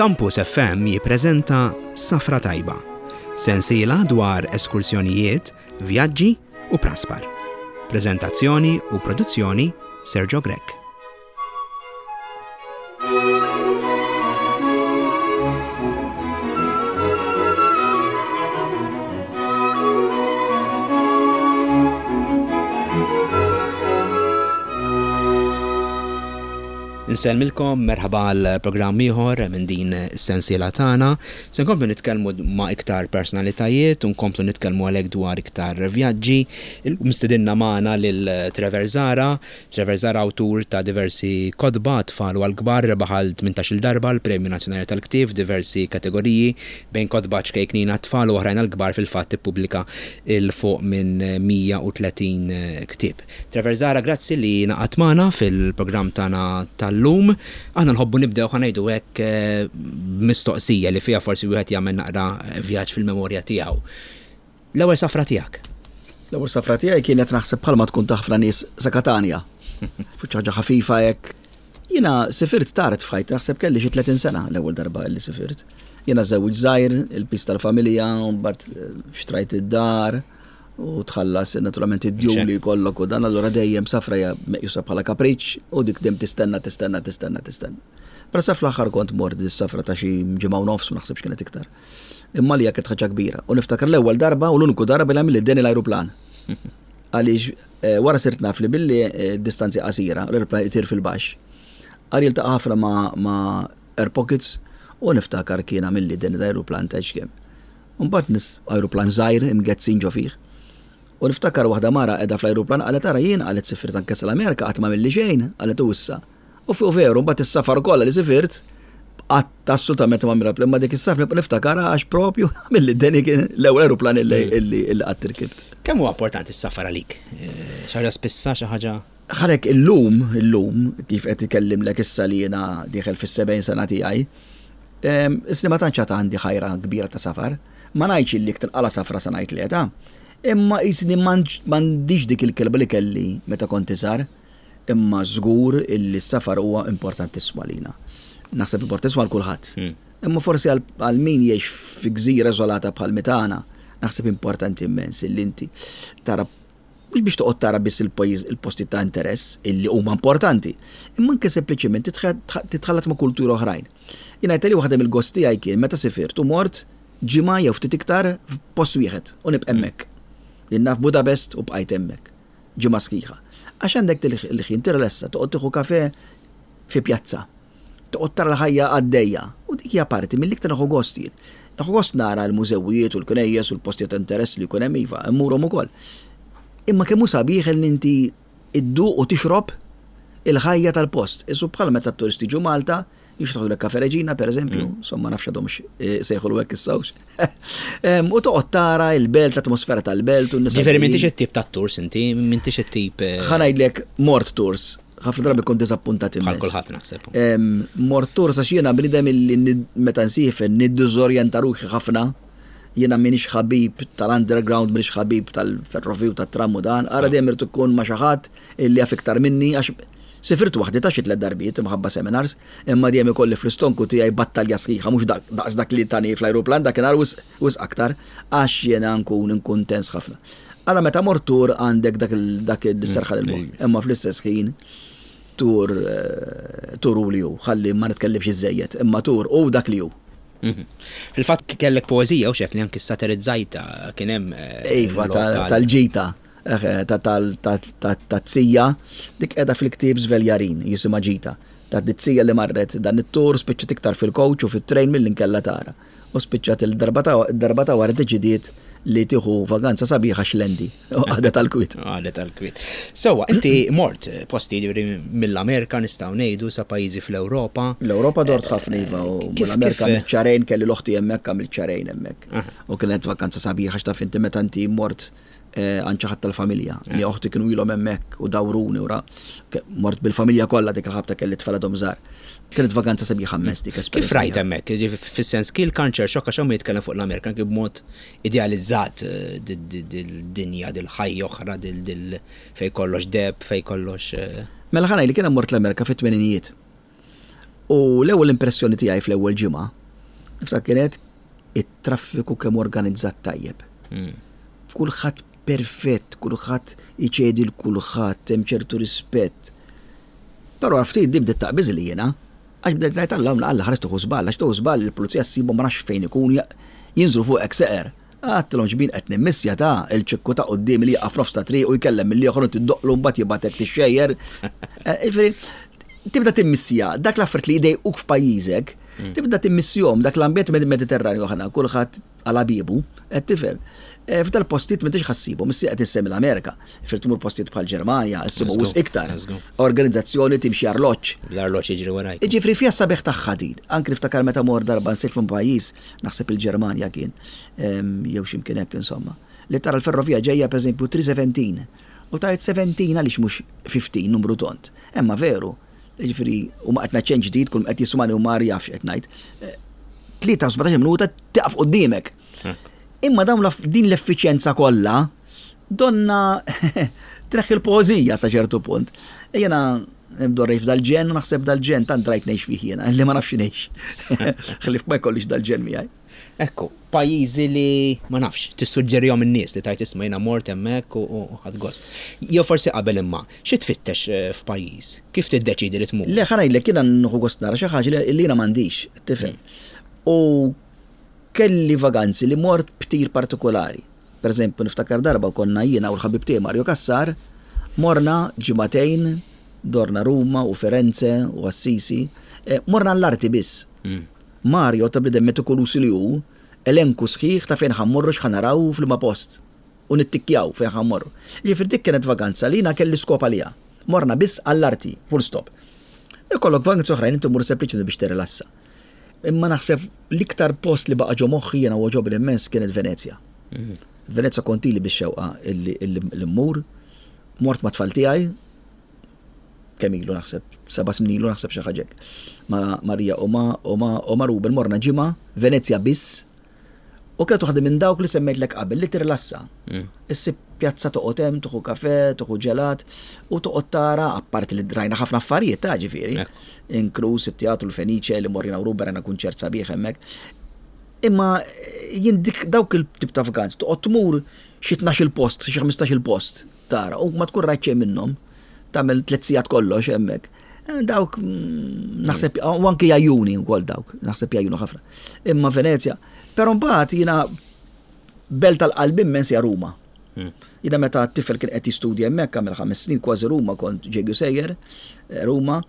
Campus FM jippreżenta Safra Tajba, sensiela dwar eskursjonijiet, vjaġġi u praspar. Preżentazzjoni u produzzjoni Sergio Grech. Insellmilkom, merħba għal programm ieħor minn din is-sensiela tagħna. Se nkomplu nitkellmu ma' iktar personalitajiet u nkomplu nitkellmu għalhekk dwar iktar vjaġġi. Illum stidinna magħna lil Trevor Zahra. Trevor Zahra awtur ta' diversi kotba għat-tfal u għall-kbar, rebaħ għal 18-il darba l-Premju Nazzjonali tal-Ktieb f'diversi kategoriji, bejn kotba ċkejknin għat-tfal u oħrajn għall-kbar fil-fatt ippubblika 'l fuq minn 130 ktieb. Trevor Zahra grazzi li ngħaqadt magħna fil-programm tagħna tal-lum. Aħna nħobbu nibdew ħa ngħidu hekk b'mistoqsija li fiha forsi wieħed jagħmel naqra vjaġġ fil-memorja tiegħu. L-ewwel safra tiegħek? L-ewwel safra tiegħi kienet naħseb bħalma tkun ta' ħafna nies sa Katanja. Fuq ħaġa ħafifa hekk. Jiena sifirt tard f'ħajti, naħseb kelli xi 30 sena l-ewwel darba li sifirt. Jiena żewġ żgħir, il-pis tal-familja, mbagħad eh, xtrajt id-dar u tħallas naturalment id-djun li jkollok u dan allura dejjem safra hija meqjusa bħala kapriċċ u dik dejjem tistenna tistenna tistenna tistenna. Però sa fl-aħħar kont mort dis-safra ta' xi ġimgħa u nofs ma naħsibx kienet iktar. Imma li kienet ħaġa kbira. U niftakar l-ewwel darba u l-uniku darba li għamilli deni l-ajruplan. Għaliex eh, wara sirt naf li billi eh, distanzi qasira, l-ajruplan itir fil-baxx. Għal jiltaqa' ħafna ma' air pockets u niftakar kien għamilli deni l-ajruplan ta' kemm. Mbagħad nis ajruplan żgħir imgezzin ġo fih. U niftakar waħda mara qiegħda fl-ajruplan qalet ara jien qalet sifirt anke sal-Amerika qatt m'għamilli xejn, qalet u issa. U fuq veru, mbagħad is-safar kollha li sifirt, qatt assolutament ma mirab, imma dik is-safra nibqa' niftakarha għax propju milli deni kien l-ewwel aeroplan illi mm. qatt irkibt. Kemm huwa importanti s-safar għalik? Eh, xi ħaġa spissa, xi ħaġa Ħarek illum, illum, kif qed ikellimlek issa li jiena dieħel fis-70 sena tiegħi, isni ma tantx għad għandi ħajra kbira ta' safar. Ma ngħidx illi jekk tinqala' safra se ngħid le ta'. Imma qisni m'għandix dik il-kilba li kelli meta kont iżgħar. Imma żgur illi s-safar huwa importantissimu għalina. Naħseb importantissimu għal kulħadd. Hmm. Imma forsi għal min jgħix fi gżira iżolata bħal mitana, naħseb importanti immens illi inti tara mhux biex toqgħod tara biss il-pajjiż il-postijiet ta' interess illi huma importanti, imma anke sempliċement titħallat ma' kultura oħrajn. Jien ngħid li waħda mill-gost tiegħi kien meta sifirt u mort ġimgħa jew ftit iktar f'post wieħed u nibqa' hemmhekk. Jien naf Budapest u bqajt hemmhekk ġimgħa sħiħa. Għax għandek il-ħin tirrelessa, toqgħod tieħu kafe fi pjazza. Toqgħod tara l-ħajja għaddejja. U dik hija parti mill-iktar nieħu gost jien. Nieħu gost nara l-mużewijiet u l-knejjes u l-postijiet ta' interess li jkun hemm iva, immurhom ukoll. Imma kemm hu sabiħ li inti dduq u tixrob il-ħajja tal-post. Isu bħal meta t-turisti jiġu Malta, jixtruħlek Kafe Reġina, per eżempju, mm. insomma nafx għadhomx eh, sejħulu hekk issawx. U toqgħod tara il-belt, l-atmosfera tal-belt u n-nies. Ġifieri m'intix it-tip ta' tours inti, m'intix it-tip. Eh, Ħa ngħidlek mort tours, ħafna drabi kont diżappuntat immens. Bħal kulħadd naħseb. Mort tours għax jiena bniedem illi meta nsiefer niddiżorjenta ruħi ħafna. Jiena m'iniex ħabib tal-underground, m'iniex ħabib tal-ferroviju tat-tram u dan. Ara dejjem irid ikun ma' xi ħadd illi jaf iktar minni għax Sifirt waħdi ta' xi tlett darbiet imħabba seminars, imma dejjem ikolli fl-istonku tiegħi battalja sħiħa mhux daqs dak li tani fl-ajruplan dakinhar wisq wisq aktar għax jiena nkun inkun tens ħafna. Alla meta mort tur għandek dak dak is-serħan il-moħħ. Imma fl-istess ħin tur eh, tur hu li hu, ħalli ma nitkellimx iżżejjed, imma tur hu dak li hu. Mhm. Fil-fatt kellek poeżija u xek li anki satirizzajta kien hemm. Eh, iva tal-ġita. Ta' tija, dik qiegħda fil-ktieb Żveljarin, jisimha Ġita. Ta' tija li marret dan it-tur spiċċat iktar fil-coach u fit-train milli nkella tara. U spiċċat il-darba ta' wara deċidiet li tieħu vaganza sabiħa xlendi. U qagħdet għall-kwiet. Qagħdet għall-kwiet. Sewwa, inti mort posti ġifieri mill-Amerika nistgħu ngħidu sa pajjiżi fl-Ewropa. L-Ewropa dort ħafna iva u l-Amerika għamilt xahrejn kelli l-oħti hemmhekk għamilt xahrejn hemmhekk. U kienet vaganza sabiħa x'taf inti meta inti mort Eh, għand xi ħadd tal-familja li oħti kienu ilhom hemmhekk u dawruni u ra mort bil-familja kollha dik il-ħabta kelli tfal għadhom żgħar. Kienet vaganza sabiħa immens dik esperjenza. Kif rajt hemmhekk? Fis-sens kien culture shock għax hawn jitkellem fuq l-Amerika anke b'mod idealizzat eh, dil-dinja, dil-ħajja oħra, dil fej kollox deb, fej kollox. Eh. Mela ħa ngħid li kien mort l-Amerika fit-tmeninijiet. U l-ewwel impressjoni tiegħi fl-ewwel ġimgħa, niftakar kienet it-traffiku kemm organizzat tajjeb. Kulħadd perfett, kulħadd iċedi 'l kulħadd, hemm ċertu rispett. Però wara ftit din bdiet taqbiżli jiena, għax bdejt ngħid Alla Alla ħares tieħu żball, għax tieħu żball il-pulizija ssibhom ma nafx fejn ikun jinżlu fuqek seqer. Għedtilhom x'bin qed nimmissja ta' il-ċikku ta' quddiemi li jieqaf f'nofs ta' triq u jkellem mill-ieħor u inti ddoqqlu mbagħad jibgħatek tixxejjer. Jiġifieri tibda timmissja dak l-affarijiet li jdejquk f'pajjiżek, tibda timmissjhom dak l-ambjent Mediterranju aħna kulħadd għal ħabiebu, qed tifhem. Eh, f'dal postijiet m'intix ħassibhom, issa qed issemmi l-Amerika, fir tmur postijiet bħal Ġermanja, issibu wisq iktar. Organizzazzjoni timxi arloġġ. L-arloġġ jiġri warajk. Jiġifieri fiha sabiħ tagħha din. Anki niftakar meta mor darba nsejt f'un pajjiż, naħseb il-Ġermanja kien, jew x'imkien hekk insomma, li tara l-ferrovija ġejja pereżempju 317 u tgħid 17 għaliex mhux 15 numru tond. Imma veru, Jiġifieri, u ma qed ngħid xejn ġdid, kull qed jismani u mar jaf x'qed ngħid. 3 eh, minuta tiqaf quddiemek. Imma dawn din l-effiċjenza kollha donna treħ il-poeżija sa ċertu punt. Jiena mdorrej f'dal-ġen u naħseb dal-ġen tant rajt ngħix fih jiena, li ma nafx ngħix. Ħlif ma jkollix dal-ġen miegħi. Ekku, pajjiżi li ma nafx, tissuġġerihom in-nies li tajt isma' jiena mort hemmhekk u ħadt gost. Jew forsi qabel imma, xi tfittex eh, f'pajjiż? Kif tiddeċidi li tmur? Le ħa ngħidlek jiena nieħu gost nara xi ħaġa li jiena m'għandix, tifhem. U kelli vaganzi li mort b'tir partikolari. Per eżempju, niftakar darba konna jiena u l-ħabib tiegħi Mario Cassar, morna ġimagħtejn, dorna Ruma u Firenze u Assisi, eh, morna l-arti biss. Mario ta' bniedem metikoluż li hu, elenku sħiħ ta' fejn ħa mmorru x'ħa naraw u f'liema post. U nittikkjaw fejn ħa mmorru. Jiġifieri dik kienet vaganza li jiena kelli skop għaliha. Morna biss għall-arti, full stop. Ikollok vaganzi oħrajn inti tmur sempliċement biex tirrilassa. Imma naħseb l-iktar post li baqa' ġo moħħi jiena u għoġobni immens kienet Venezja. Venezja kont ili bix-xewqa li mmur. Mort mat-tfal tiegħi, kemm ilu naħseb, seba' snin ilu naħseb xi ħaġa hekk. Ma' Marija u ma' u ma' u ma' Ruben morna ġimgħa Venezja biss u kienet waħda minn dawk li semmejtlek qabel li tirrilassa. Mm. Issib pjazza toqgħod hemm, tuħu kafe, tuħu ġelat u toqgħod tara apparti li drajna ħafna affarijiet ta' ġifieri. Inkluż it-teatru l-Fenice li morrina u Ruben rajna kunċert sabiħ hemmhekk. Imma jien dik dawk il-tip ta' vakanzi toqgħod tmur xi 12 il-post, xi 15 il-post. Tara, u ma tkun rajt xejn minnhom, tagħmel tliet sigħat kollox hemmhekk. Eh, dawk mm, naħseb u anke jajjuni wkoll dawk, naħseb jajjunu ħafna. Imma Venezja, però mbagħad jiena belt tal-qalb immens hija Ruma. Hmm. Jiena meta t-tifel kien qed jistudja hemmhekk għamel ħames snin kważi Ruma kont ġejju sejjer eh, Ruma,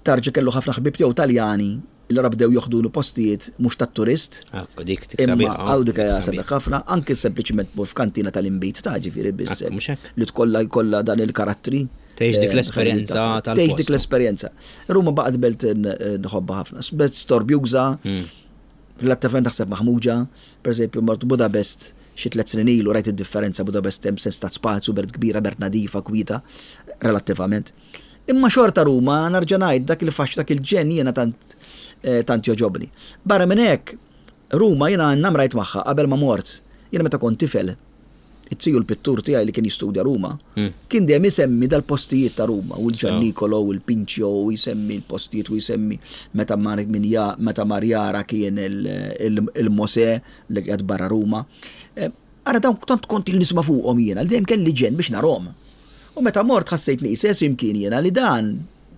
tarġa kellu ħafna ħbib tiegħu Taljani Allura bdew joħdulu postijiet mhux tat-turist. Ekku dik dik sabiħa. Imma hawn dik hija sabiħ ħafna, anke sempliċiment tmur f'kantina tal-inbid ta' ġifieri biss. Li tkollha jkollha dan il-karattri. Tgħix dik eh, l-esperjenza tal Tgħix dik l-esperjenza. Ruma baqgħet belt nħobbha ħafna. Belt storbjuża, hmm. relattivament naħseb maħmuġa, per eżempju mort Budapest xi tliet snin ilu rajt id-differenza Budapest hemm sens ta' spazju, belt kbira, belt nadifa, kwieta, relattivament. Imma xorta Ruma, nerġa' ngħid, dak il-faxx, dak il-ġenn jiena tant eh, tant jogħġobni. Barra minn hekk, Ruma jiena namrajt magħha qabel ma mort. Jiena meta kont tifel, it-tiju l-pittur tiegħi li kien jistudja Ruma, hmm. kien dejjem isemmi dal-postijiet ta' Ruma, u l-Ġannikolo u l-Pinċjo u jsemmi l-postijiet u jsemmi meta mar min ja meta mar jara kien il-Mose li qiegħed barra Ruma. Eh, ara dawn tant kont il nisma' fuqhom jiena, li dejjem kelli ġenn biex narhom. U meta mort ħassejtni qisesi imkien jiena li dan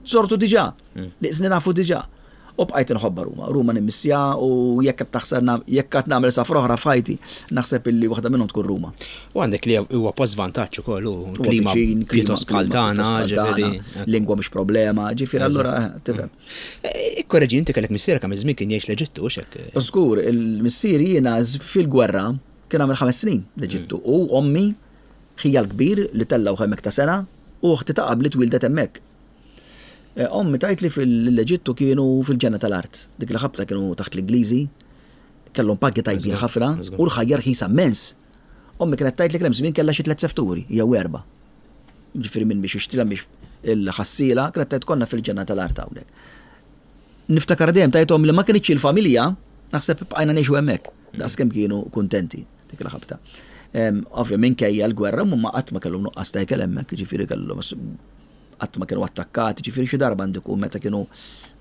żortu diġà, mm. li qisni nafu diġà. U bqajt inħobba Ruma. Ruma nimmissja u jekk qed taħseb jekk qed nagħmel safra oħra f'ħajti, naħseb illi waħda minnhom tkun Ruma. U għandek li huwa post vantaġġ ukoll u klima pjuttost bħal tagħna, ġifieri. Lingwa mhux problema, ġifieri allura eh, tifhem. Eh, ikkoreġi inti kellek missierek kemm iż-żmien kien jgħix l-Eġittu hekk. Żgur, il-missier jiena fil-gwerra kien għamel ħames snin l-Eġittu mm. u ommi Ħija l-kbir li tellgħuh hemmhekk ta' sena u oħti ta' qabli twieldet hemmhekk. Eh, ommi tgħid li fil-Eġittu kienu fil-ġenna tal-art. Dik il-ħabta kienu taħt l-Ingliżi, kellhom pagi tajbin ħafna u l-ħajja rħisa immens. Ommi kienet tgħid li kien hemm żmien kellha xi tliet sefturi jew erba'. Ġifieri minn biex jixtrilha biex il-ħassiela, kienet tgħid konna fil-ġenna tal-art hawnhekk. Niftakar dejjem tgħidhom li ma kinitx il-familja, naħseb bqajna ngħixu hemmhekk, daqskemm kienu kuntenti. Dik il-ħabta. Ovvja, minkejja l-gwerra, ma qatt ma kellhom nuqqas ta' ikel hemmhekk, ġifieri kellhom qatt ma kienu attakkati, ġifieri xi darba għandu jkun meta kienu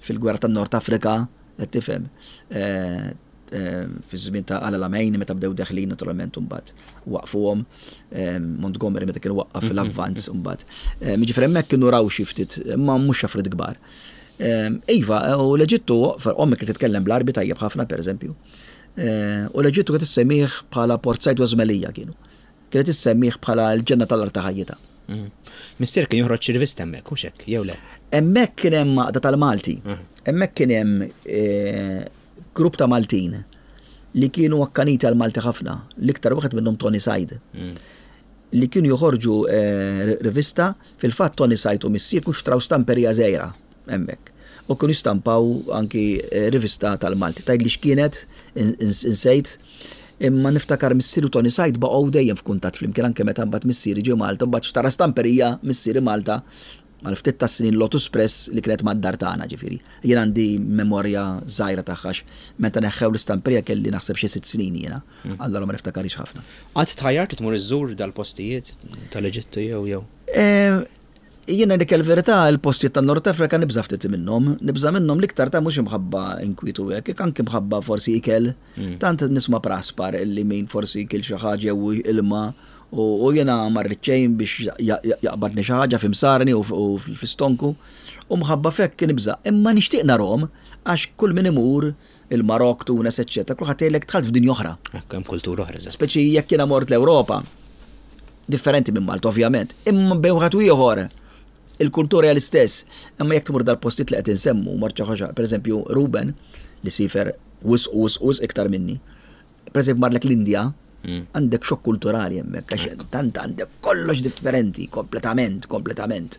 fil-gwerra tan-Nord Afrika, qed tifhem, eh, eh, fi żmien ta' El Alamein meta bdew deħlin naturalment imbagħad waqfuhom eh, Montgomery meta kienu waqqaf fil-avvanz imbagħad. Jiġifieri hemmhekk kienu raw xi ftit, ma mhux affarijiet kbar. Iva, u l-Eġittu, ommi kienet titkellem bl-Għarbi tajjeb ħafna pereżempju. U l-Eġittu kienet issemmih bħala Port Said u Żmelija kienu. Kienet issemmih bħala l-ġenna tal-art ta' ħajjitha. Mm. Missier kien joħroġ xi rivista hemmhekk, hux hekk, jew le? Hemmhekk kien hemm għaqda tal-Malti. Mm. Hemmhekk kien hemm eh, grupp ta' Maltin li kienu akkaniti għal Malti ħafna, l-iktar wieħed minnhom Tony Said. Mm. Li kienu joħorġu eh, rivista, fil-fatt Tony Said u missier kienu xtraw stamperija żgħira hemmhekk. U kienu jistampaw anki eh, rivista tal-Malti. Tgħidli x'kienet, insejt, imma niftakar missieri u Tony Said baqgħu dejjem f'kuntatt flimkien anke meta mbagħad missieri ġie Malta, mbagħad xtara stamperija missieri Malta għal ftit tas-snin Lotus Press li kienet mad-dar tagħna ġifieri. Jien għandi memorja żgħira tagħha meta neħħew l-istamperija kelli naħseb xi sitt snin jiena. Mm. Allura ma niftakarix ħafna. Qatt tħajjart tmur iżżur dal-postijiet tal-Eġittu jew jew? Eh, Jiena dik il-verità il-postijiet tan-Nord Afrika nibża' ftit minnhom, nibża' minnhom l-iktar ta' mhux imħabba inkwiet u hekk, anki mħabba forsi ikel. Mm. Tant nisma' praspar illi min forsi kiel xi ħaġa jew ilma u jiena ma rrid xejn biex jaqbadni xi ħaġa f'imsarni u fl-istonku u mħabba f'hekk nibża'. Imma nixtieq narhom għax kull min imur il-Marokk, Tunes, eċċetera, kulħadd jgħidlek dħalt f'dinja oħra. Hekk hemm kultura oħra. Speċi jekk jiena mort l-Ewropa, differenti minn Malta ovvjament, imma bejn wieħed u ieħor il-kultura hija l-istess. Imma jekk tmur dal-postijiet li qed insemmu, mort xi ħaġa, pereżempju Ruben li sifer wisq wisq wisq iktar minni. Pereżempju marlek l-Indja, mm. għandek xokk kulturali hemmhekk għax tant għandek kollox differenti kompletament, kompletament.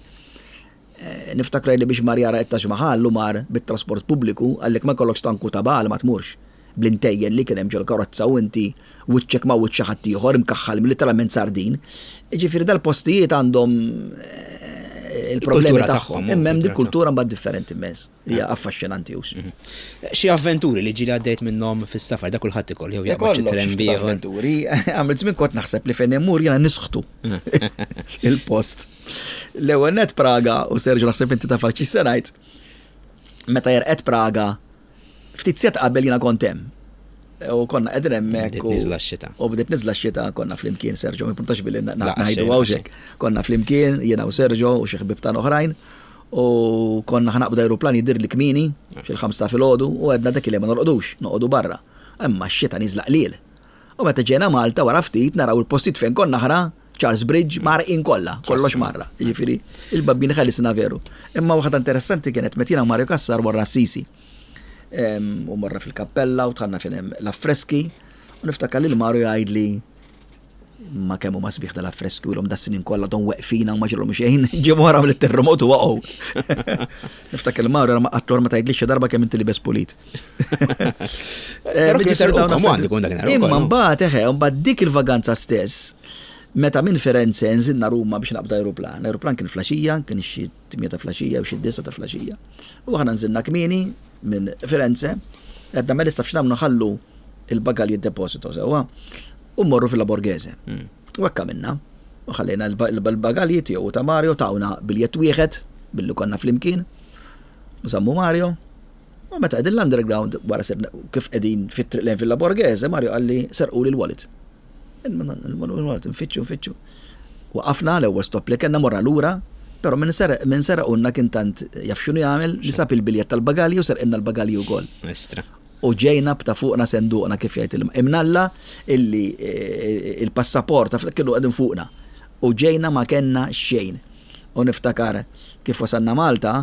Eh, niftakar li biex mar jara it-Taj Mahal u mar bit-trasport pubbliku għallek ma jkollokx tanku ta' bal ma tmurx. Bl-intejjen li kien hemm ġol-karozza u inti wiċċek ma' wiċċ xi ħadd ieħor imkaħħal literalment sardin. Jiġifieri dal-postijiet għandhom eh, il-problemi tagħhom. Imma hemm dik kultura mbagħad differenti immens. Hija affaxxinanti hux. Mhm. Xi avventuri li ġieli għaddejt minnhom fis-safar da kulħadd ikoll jew jaqbad xi tren Avventuri, għamilt żmien kont naħseb li fejn immur jiena nisħtu il-post. L-ewwel net Praga u Sergio naħseb inti taf xi se ngħid. Meta jerqed Praga, ftit set qabel jiena kont hemm. U konna qegħdin hemmhekk. Bdiet niżla x-xita. U bdiet niżla x-xita konna flimkien Sergio, ma importax billi ngħidu hawnhekk. Konna flimkien jiena u Sergio u xi ħbieb tagħna oħrajn. U konna ħa naqbdu ajruplan jidhirli kmieni, fil-ħamsa filgħodu, u għedna dak il ma norqdux, noqogħdu barra. Imma x-xita niżla qliel. U meta ġejna Malta wara ftit naraw il-postijiet fejn konna aħna, Charles Bridge, mgħarrqin kollha, kollox mgħarraq. Jiġifieri, il-babbini ħelisna veru. Imma waħda interessanti kienet meta jiena u Mario Cassar morna Assisi. U morna fil-kappella u dħalna fejn hemm l-affreski u niftakar lil Mario jgħidli ma kemm huma sbieħ dal-affreski u l-hom das-snin kollha don weqfin hawn ma ġralhom xejn, ġie wara mill-terremotu waqgħu. Niftakar il-Mario ma qatlu ma tgħidlix xi darba kemm inti libes pulit. Imma mbagħad eħe, mbagħad dik il-vaganza stess, meta minn Firenze nżilna Ruma biex naqbdu ajruplan. L-ajruplan kien flaxija, kien xi 8 ta' flaxija u xi 9 ta' flaxija. U aħna nżilna kmieni minn Firenze, għedna mela taf x'nagħmlu nħallu il-bagalji deposito sewwa u mmorru fil Borghese. Hmm. U hekk għamilna. U ħallejna l-bagalji tiegħu ta' Mario tawna biljett wieħed billi konna flimkien. Żammu Mario. U meta qegħdin l-underground wara sirna kif qegħdin fit-triq lejn Villa Borghese, Mario qalli serquli l-wallet. Il-wallet nfittxu nfittxu. Waqafna l-ewwel stop li kellna morna lura, però min seraq min seraqulna kien tant jaf x'inhu jagħmel li sab il-biljett tal-bagalji u serqilna l-bagalji wkoll. Estra. U ġejna b'ta' fuqna senduqna kif jgħid il Imnalla illi il-passaport kienu qegħdin fuqna. U ġejna ma kellna xejn. U niftakar kif wasalna Malta,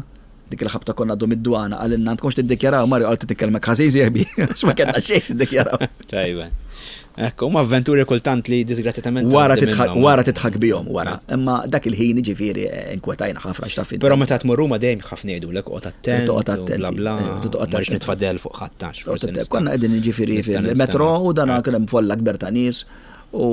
dik il-ħabta konna għaddu mid-dwana, qalilna għandkomx tiddikjaraw, Mario qal titkellmek ħażin sieħbi, għax ma kellna xejn x'niddikjaraw. Tajba. Ekku, huma avventuri kultant li disgrazzjatament. Wara titħak wara titħak bihom wara. Imma dak il-ħin jiġifieri eh, inkwetajna ħafna x'taf Però meta tmur Ruma dejjem ħafna jgħidulek oqgħod attent. Toqgħod attent. Bla bla. Eh, toqgħod attent. nitfadel fuq ħattax. Konna qegħdin jiġifieri fil-metro u dan kien hemm folla kber ta' nies u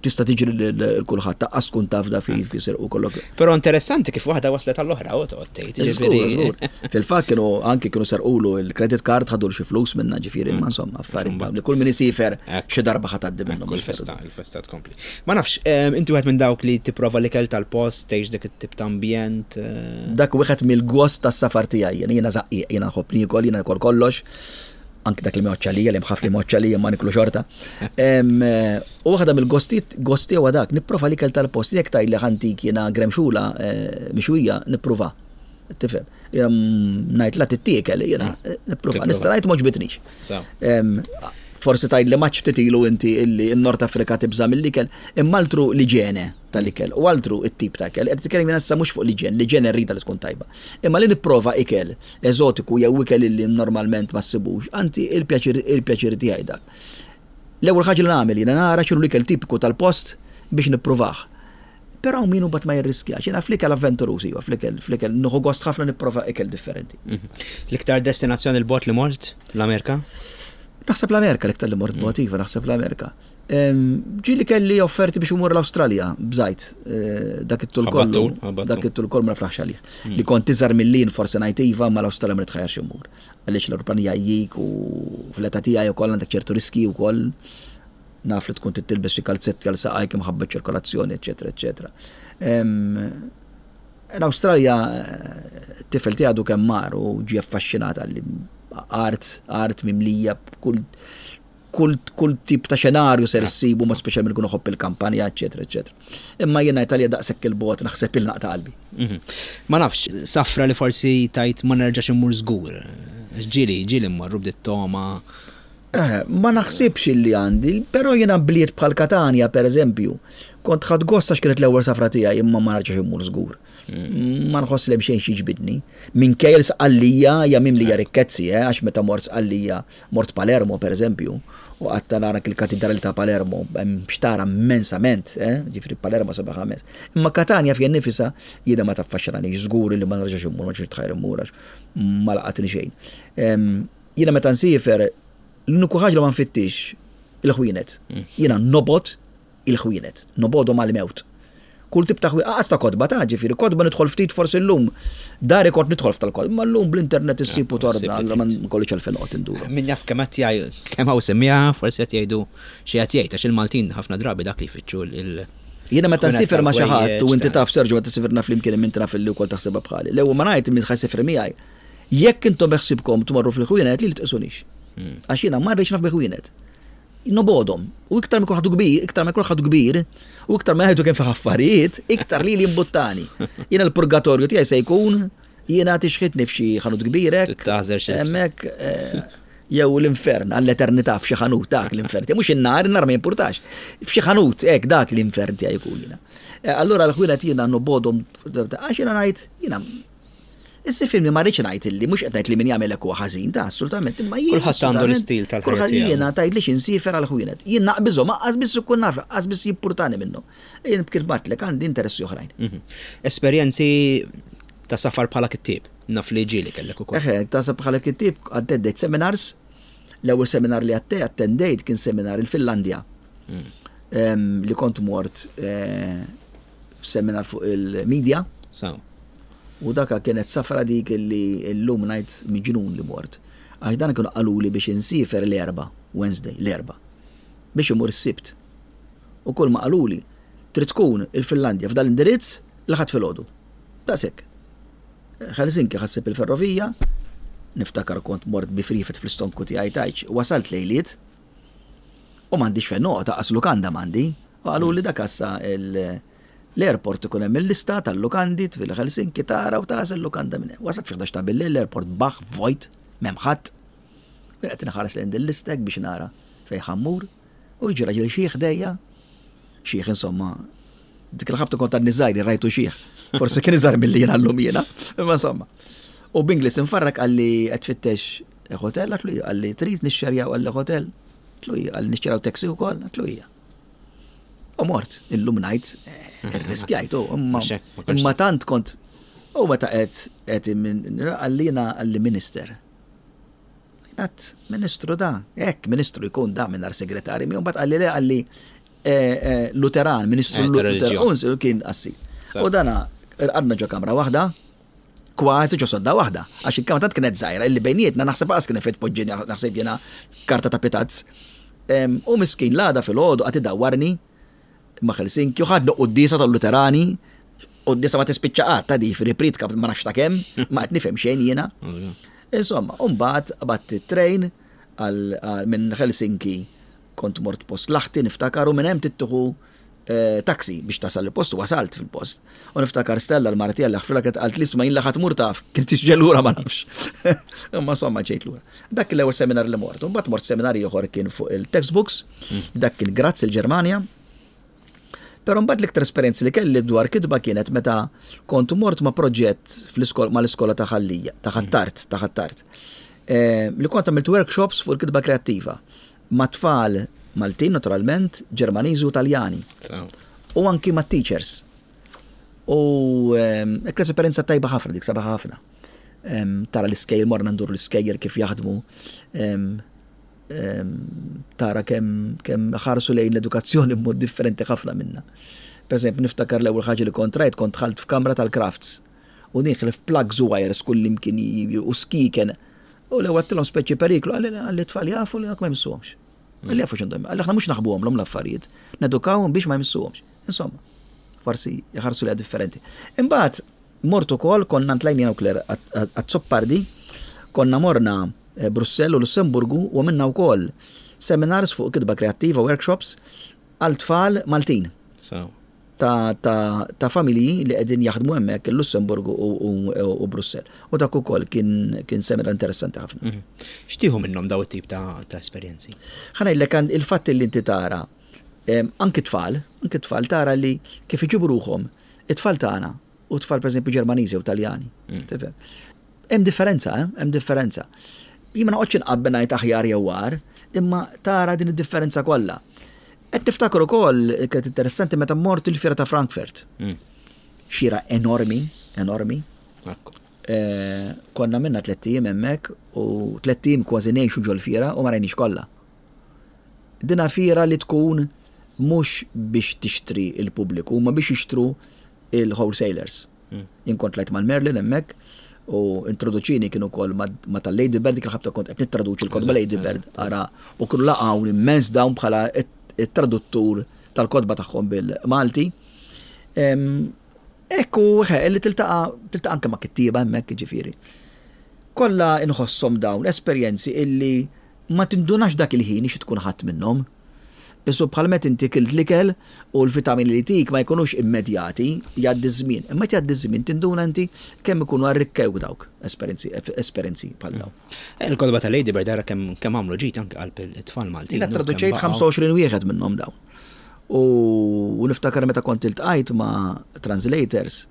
Tista' tiġri lil kulħadd taqqas tkun taf da fi u kollok. Però interessanti kif waħda waslet għall-oħra u toqgħod tgħid. Żgur, Fil-fatt kienu anki kienu serqulu il-credit card ħadu xi flus minna ġifieri ma insomma affarijiet li kull min isifer xi darba ħa tgħaddi minnhom. Kull festa, il-festa tkompli. Ma nafx, inti wieħed minn dawk li tipprova l-ikel tal-post, tgħix dik it-tip ta' ambjent. Eh? Dak wieħed mill-gost tas-safar tiegħi, jiena żaqqiq, jiena nħobb niekol, jiena nikol kollox anki dak li moċċa lija, li mħaf li moċċa lija ma niklu xorta. Eh, u waħda mill-gostiet, gosti huwa dak, nipprova l-ikel tal-post, jekk tgħid li ħantik jiena gremxula eh, mixwija, nipprova. Tifhem. Jiena ngħid la tittiekel, jiena mm. eh, nipprova. Nista' ngħid m'għoġbitnix. Forsi tgħid li maċ ftit ilu inti illi n-Nord Afrika tibża' mill-ikel, imma altru l-iġene tal-ikel u altru it-tip ta' ikel. Qed titkellem jiena issa mhux fuq l-iġen, l-iġene rrida li tkun tajba. Imma li nipprova ikel eżotiku jew ikel illi normalment ma ssibux, anti il-pjaċir il-pjaċir tiegħi dak. L-ewwel ħaġa li nagħmel jiena nara x'inhu l-ikel tipiku tal-post biex nippruvah. Però hawn min imbagħad ma jirriskjax. Jiena fl-ikel avventuruż iva, fl-ikel fl-ikel nieħu gost ħafna nipprova ikel differenti. Mhm. L-iktar destinazzjoni 'l bogħod li mort? L-Amerika? Naħseb l-Amerika l-iktar li mort bogħod iva, naħseb l-Amerika. Ġieli kelli offerti biex imur l-Awstralja, bżajt, eh, dak it-tul kollu. Dak it-tul kollu ma naflaħx għalih. Hmm. Li kont iżgħar mill-lin forsi ngħid iva, ma l-Awstralja ma nitħajjarx imur. Għaliex l-aeroplan jgħajjik u fl-età tiegħi wkoll għandek ċertu riski wkoll. Naf li tkun trid tilbes xi kalzetti għal saqajk imħabba ċirkolazzjoni, eċetera, eċetera. L-Awstralja tifel tiegħi għadu kemm mar u ġie affaxxinat għalli art, art mimlija kull kull kull tip ta' xenarju ser issibu ma speċjalment ikun iħobb il-kampanja, eċetera, eċetera. Imma jiena Italja daqshekk il-bogħod naħseb il-naqta' qalbi. Mhm. Ma nafx, safra li forsi tajt ma nerġax immur żgur. Ġieli, ġieli mmorru bdiet toma. Eh, ma naħsibx illi għandi, però jiena bliet bħal Katanja per eżempju, kont ħadt gost għax kienet l-ewwel safra tiegħi imma ma nerġax immur żgur. Mm. Ma nħoss li hemm xejn xi jiġbidni. Minkejja li Sqallija hija mimlija rikkezzi, eh, għax meta mort Sqallija, mort Palermo per eżempju, u qatt nara il-katidrali ta' Palermo, hemm xtara immensament, eh, ġifieri Palermo sabiħa immens. Imma Katanja fija nnifisha jiena ma taffaxxinanix żgur li ma nerġax immur, ma nerġax nitħajjar immur għax ma laqatni xejn. Jiena meta nsiefer, l-uniku ħaġa li ma nfittix il-ħwienet. Mm. Jiena nobgħod il-ħwienet, nobgħodhom għal-mewt. Kull tip ta' ħwienet, aqas ta' kotba ta' ġifieri, kotba nidħol ftit forsi llum. Dari kont nidħol f'tal-kotba, ma llum bl-internet issib u torna, allura ma nkollix għalfejn noqgħod induru. Min jaf kemm qed jgħid, kemm hawn semmiegħa, forsi qed jgħidu xi qed jgħid għax il-Maltin ħafna drabi dak li jfittxu il- Jiena meta nsifer ma' xi ħadd u inti taf Sergio meta sifirna flimkien imma inti naf illi wkoll taħsibha bħali. L-ewwel ma ngħid min ħa jsifri miegħi, Jekk intom beħsibkom tmorru fil-ħwienet li tqisunix. Hmm. Għax jiena ma rridx naf bi ħwienet. Nobodhom. U iktar ma ħadu kbir, iktar ma jkun ħadu kbir, u iktar ma jgħidu kemm fih affarijiet, iktar li li jimbuttani. Jiena l-purgatorju tiegħi se jkun jiena tixħitni f'xi ħanut kbirek. Hemmhekk eh, jew l-infern għall-eternità f'xi ħanut dak l-infern. Mhux in-nar, in-nar ma jimpurtax. F'xi ħanut hekk dak l-infern tiegħi jkun jiena. Eh, allura l-ħwienet jiena nobodhom għax jiena ngħid jiena Issa ifhimni ma rridx ngħid illi mhux qed ngħid li min jagħmel hekk huwa ħażin, ta' assolutament, imma jien. Kulħadd għandu l-istil tal-ħajja. Kulħadd jiena tgħidlix insiefer għal ħwienet. Jien naqbiżhom, aqqas biss ikun naf, aqqas biss jippurtani minnhom. Jien kif bgħattlek għandi interessi oħrajn. Mhm. Esperjenzi ta' safar bħala kittieb, naf li ġieli kellek ukoll. Eħe, ta' safar bħala kittieb attendejt seminars. L-ewwel seminar li attendejt kien seminar il-Finlandja. Mm. Li kont mort eh, seminar fuq il-media. Saw. U daka kienet safra dik li llum ngħid miġnun li mort. Għax dan kienu qaluli biex insiefer l-Erbgħa, Wednesday, l-Erbgħa. Biex imur is-Sibt. U kull ma qaluli, trid tkun il-Finlandja f'dal indirizz l-Ħadd filgħodu. Daqshekk. Helsinki ħassib il-ferrovija, niftakar kont mort bi frifet fl-istonku tiegħi tgħidx, wasalt lejliet u m'għandix fejn noqgħod, aqas lukanda m'għandi. U qaluli dak assa l-airport ikun hemm il-lista tal-lukandi fil-Helsinki tara u tagħżel lukanda minn hemm. Wasalt fi 11 ta' bil-lejl l-airport baħ vojt, m'hemm ħadd. Jien qed inħares lejn din lista hekk biex nara fejn ħa mmur u jiġi raġel xiħ ħdejja, xiħ insomma, dik il-ħabta kont għadni żgħir rajtu xiħ. Forsi kien iżgħar milli jiena llum jiena, imma insomma. U b'Inglis infarrak qalli qed tfittex hotel, għatlu qalli trid nixxerjaw qalli hotel, għatlu qalli nixxerjaw taxi wkoll, għatlu hija. U mort, illum ngħid, eh, irriskjajtu, imma imma tant kont u meta qed qed għallina għalli minister. Għat ministru da, hekk ministru jkun da mingħajr segretari, mi mbagħad qalli le qalli Luteran, ministru Luteran, kien qassis. U dana rqadna ġo kamra waħda, kważi ġo sodda waħda, għax il-kamra tant kienet żgħira illi bejnietna naħseb qas kien fejn tpoġġini naħseb jiena karta ta' pitazz. U miskin l-għada filgħodu qagħad idawwarni ma' Helsinki u ħadna quddiesa tal-Luterani, quddiesa ma tispiċċa qatt ta' di pritka ma nafx ta' kemm, ma qed nifhem xejn jiena. Insomma, u mbagħad qbadt it-train minn Helsinki kont mort post Lahti niftakar u minn hemm tittieħu taxi biex tasal il-post u wasalt fil-post. U niftakar Stella l-mara tiegħi li ħfilha kienet qalt li isma' jien li ħadd mur taf, kien tiġi lura ma nafx. Imma insomma ġejt lura. Dak l-ewwel seminar li mort. U mbagħad mort seminar ieħor kien fuq il-textbooks, dak kien Graz il-Ġermanja. Però mbagħad l-iktar esperjenza li kelli dwar kitba kienet meta kont mort ma' proġett fl-iskola mal-iskola ta' Ħal-Lija, ta' Ħ'Attard, ta' Ħ'Attard. Li kont għamilt workshops fuq il-kitba kreattiva ma' tfal Maltin naturalment, Ġermaniżi u Taljani. U anki ma' teachers. U kienet esperjenza tajba ħafna dik, sabiħa ħafna. Tara l-iskejjel, morna ndur l-iskejjel kif jaħdmu. Tara kemm kemm ħarsu lejn l-edukazzjoni b'mod differenti ħafna minna. Per eżempju, niftakar l-ewwel ħaġa li kont rajt kont dħalt f'kamra tal-crafts u nieħlef plugs u wires kullimkien u skiken. U l-ewwel għedtilhom speċi periklu, qalli t-tfal jafu li ma jmissuhomx. Qalli jafu x'għandhom. Qalli aħna mhux naħbuhomlhom l-affarijiet, nedukawhom biex ma jmissuhomx. Insomma, forsi jħarsu lejha differenti. Imbagħad mort ukoll konna ntlajna jiena u Claire Azzopardi, konna morna Brussell u Lussemburgu u għamilna wkoll seminars fuq kitba kreattiva, workshops għal tfal Maltin. Ta' ta' ta' familji li qegħdin jaħdmu hemmhekk il-Lussemburgu u, u, u Brussell. U dak ukoll kien kien seminar interessanti ħafna. X'tieħu minnhom daw it-tip ta', ta' esperjenzi? Ħa ngħidlek il-fatt li inti tara anki tfal, anki tfal tara li kif iġibu ruħhom it-tfal tagħna u tfal pereżempju Ġermaniżi u Taljani. Tifhem? Hemm differenza, eh? Hemm differenza. Jien ma noqgħodx inqabbel ngħid aħjar jew agħar, imma tara din id-differenza kollha. Qed niftakar ukoll kienet interessanti meta mort il-fiera ta' Frankfurt. Fiera enormi, enormi. Eh, konna minna tlett ijiem hemmhekk u tlett ijiem kważi ngħixu ġol-fiera u ma rajniex kollha. Dina fiera li tkun mhux biex tixtri il-pubbliku, ma biex jixtru il-wholesalers. Jien kont tlajt mal-Merlin hemmhekk u introduċini kien ukoll ma' tal-Lady Bird, dik il-ħabta kont qed nittraduċi l-kotba Lady Bird, ara, u kienu laqgħuni immens dawn bħala it-traduttur tal-kotba tagħhom bil-Malti. Ekku, li tiltaqa' tiltaqa' anke ma' kittieba hemmhekk jiġifieri. Kollha inħosshom dawn esperjenzi illi ma tindunax dak il-ħin xi tkun ħadt minnhom. Qisu bħal meta inti kilt l-ikel u l-vitamini li jtik ma jkunux immedjati, jgħaddi ż-żmien. Imma meta jgħaddi ż-żmien tinduna inti kemm ikunu arrikkewk dawk esperjenzi esperjenzi bħal dawn. Il-kotba ta' Lady Bird ara kemm kemm għamlu ġid anke qalb it-tfal Maltin. Jiena ttraduċejt 25 wieħed minnhom dawn. U niftakar meta kont iltqajt ma' translators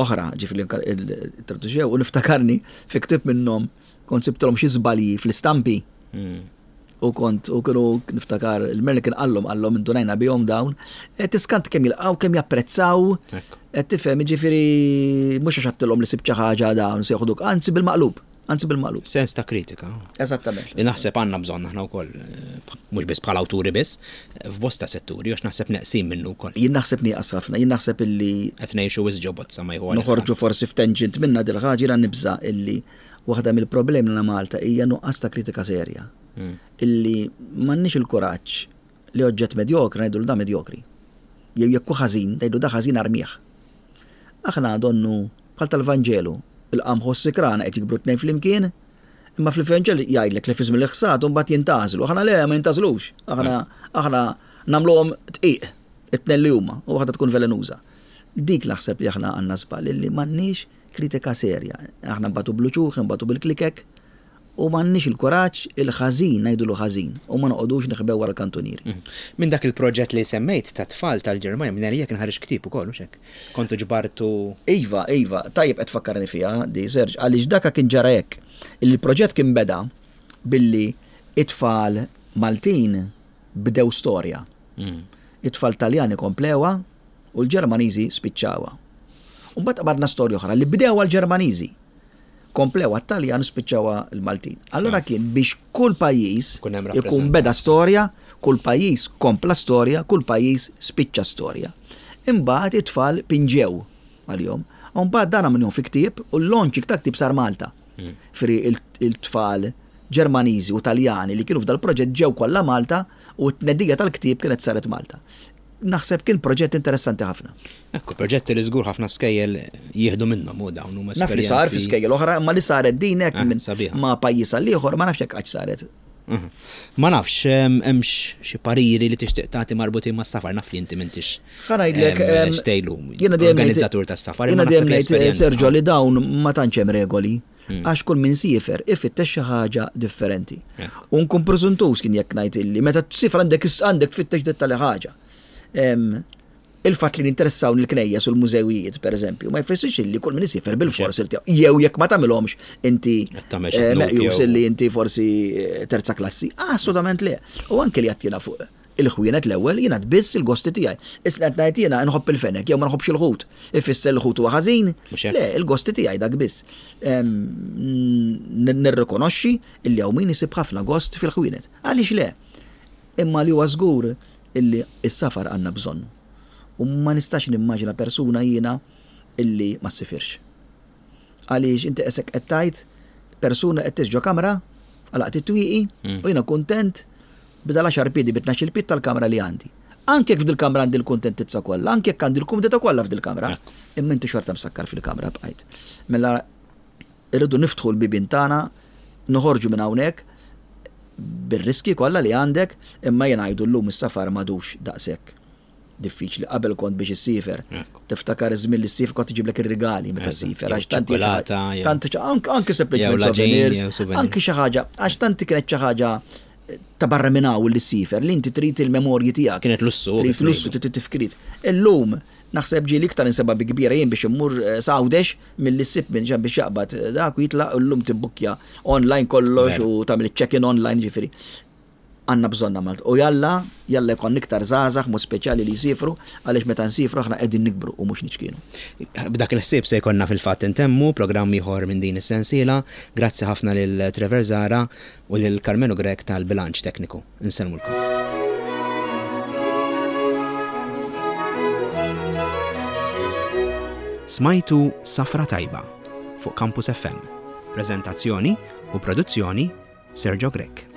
oħra, ġifieri li ttraduċew, u niftakarni fi ktieb minnhom kont sibtilhom xi żbalji fl-istampi. U kont, u kienu niftakar, il-Merlin kien qallhom, qallhom indunajna bihom dawn. E, tiskant kemm jilqgħu, kemm japprezzaw. Qed tifhem, jiġifieri mhux għax għedtilhom li sibt xi ħaġa dawn se joħduk, anzi bil-maqlub, anzi bil-maqlub. Sens ta' kritika. Eżattament. Li naħseb għandna bżonn aħna wkoll, mhux biss bħala awturi biss, f'bosta setturi, għax naħseb neqsin minnu wkoll. Jien naħseb nieqas ħafna, jien naħseb illi. Qed ngħixu wisq ġo bozza ma jieħu Noħorġu forsi f'tangent minna dil-ħaġa, jiena nibża' illi Waħda mill-problemi li għandna Malta hija nuqqas ta' kritika serja. Illi m'għandniex il-kuraġġ li oġġett medjokri ngħidulu da medjokri. Jew jekk hu ħażin, ngħidu da ħażin armih. Aħna donnu bħal tal-Vanġelu, il-qamħ u s-sikrana qed jikbru t-tnejn flimkien, imma fil-Vanġelu jgħidlek li fi żmien il-ħsad imbagħad jintgħażlu. Aħna le ma jintgħażlux. Aħna aħna nagħmluhom dqiq it-tnejn li huma u waħda tkun velenuża. Dik naħseb li aħna għandna żball illi m'għandniex Kritika serja. Aħna nbatu bl-uċuħ, inbatu bil-klikek u m'għandniex il-kuraġġ, il-ħażin ngħidulu ħażin u ma noqogħdux neħbew wara l-kantunieri. Minn dak il-proġett li semmejt tat-tfal tal-Ġermanja, minn għalija kien ħareġ ktieb ukoll, hux hekk? Kontu ġbartu. Iva, iva, tajjeb qed tfakkarni fiha di, Serge, għaliex daka kien ġara hekk. Il-proġett kien beda billi it-tfal Maltin bdew storja. It-tfal Taljani komplewha u l-Ġermaniżi spiċċawha. U mbagħad qbadna storja oħra li bdewha l-Ġermaniżi. Komplew għat-Taljan u spiċċawha l-Maltin. Allura kien biex kull pajjiż ikun beda storja, kull pajjiż kompla storja, kull pajjiż spiċċa storja. Imbagħad it-tfal pinġew għalihom. U mbagħad dan għamilhom fi ktieb u l-launching ta' ktieb sar Malta. Hmm. Fri il-tfal Ġermaniżi u Taljani li kienu f'dal-proġett ġew kollha Malta u t-tnedija tal-ktieb kienet saret Malta. Naħseb kien proġett interessanti ħafna. Ekku, proġetti li żgur ħafna skejjel jieħdu minnhom u dawn huma Naf li sar fi skejjel oħra, imma li saret din hekk eh, minn ma' pajjiż għal ieħor ma nafx hekk qatt saret. Mhm. Ma nafx, hemmx xi pariri li tixtieq tagħti marbutin mas-safar, naf li inti m'intix. Ħa ngħidlek xtejlu. Organizzatur tas-safar. Jiena dejjem ngħid Sergio li dawn ma tantx hemm regoli. Hmm. Għax kull min siefer ifittex xi ħaġa differenti. U nkun preżuntuż kien jekk ngħid illi meta tsifer għandek għandek tfittex dettali ħaġa. Il-fatt li ninteressawni l-knejjes u l-mużewijiet, per eżempju, ma jfissirx illi kull min isiefer bil-fors jew jekk ma tagħmilhomx inti eh, meqjus illi inti forsi eh, terza klassi. Assolutament le. U anke li għattina fuq il-ħwienet l-ewwel jiena biss il-gosti tiegħi. Issa qed ngħid jiena nħobb il-fenek jew ma nħobbx il-ħut. Ifisser il-ħut huwa ħażin? Le, il-gosti tiegħi dak biss. Nirrikonoxxi illi hawn min isib ħafna gost fil-ħwienet. Għaliex le? Imma li huwa żgur illi s-safar għandna bżonnu. U ma nistax nimmaġina persuna jiena illi ma ssifirx. Għaliex inti qesek qed tgħid persuna qed tgħix ġo kamra, għalaqt it-twieqi mm. u jiena kuntent b'dal għaxar piedi bi tnax-il pied tal-kamra li għandi. Anke jekk f'dil-kamra għandi l-kuntentizza kollha, anke jekk għandi l-kumdità kollha f'dil-kamra, imma inti xorta msakkar fil-kamra bqajt. Mela Irridu niftħu l-bibien tagħna, noħorġu minn hawnhekk bir-riskji kollha li għandek, imma jien ngħidu llum is-safar m'għadux daqshekk diffiċli. Qabel kont biex issiefer, tiftakar iż-żmien li ssiefer kont iġiblek ir-rigali meta ssiefer għax tant tant anke sempliċement souvenirs, anke xi ħaġa, għax tant kienet xi ħaġa ta' barra minn hawn li ssiefer li inti trid il-memorji tiegħek. Kienet lussu. Trid lussu, trid tifkiriet. Illum Naħseb ġieli iktar insebha bi kbira jien biex immur s'Għawdex milli ssib min biex jaqbad dak u jitlaq u llum tibbukkja online kollox u tagħmel iċ-check-in online ġifieri. Għandna bżonnha Malta. U jalla, jalla jkollna iktar żgħażagħ mod speċjali li jsiefru għaliex meta nsiefru aħna qegħdin nikbru u mhux niċkienu. B'dak il-ħsieb se jkollna fil-fatt intemmu programm ieħor minn din is-sensiela. Grazzi ħafna lil Trevor Zahra u lil Karmenu Grech tal-bilanċ tekniku. Insellmulkom. Smajtu Safra Tajba fuq Campus FM. Preżentazzjoni u produzzjoni Sergio Grech.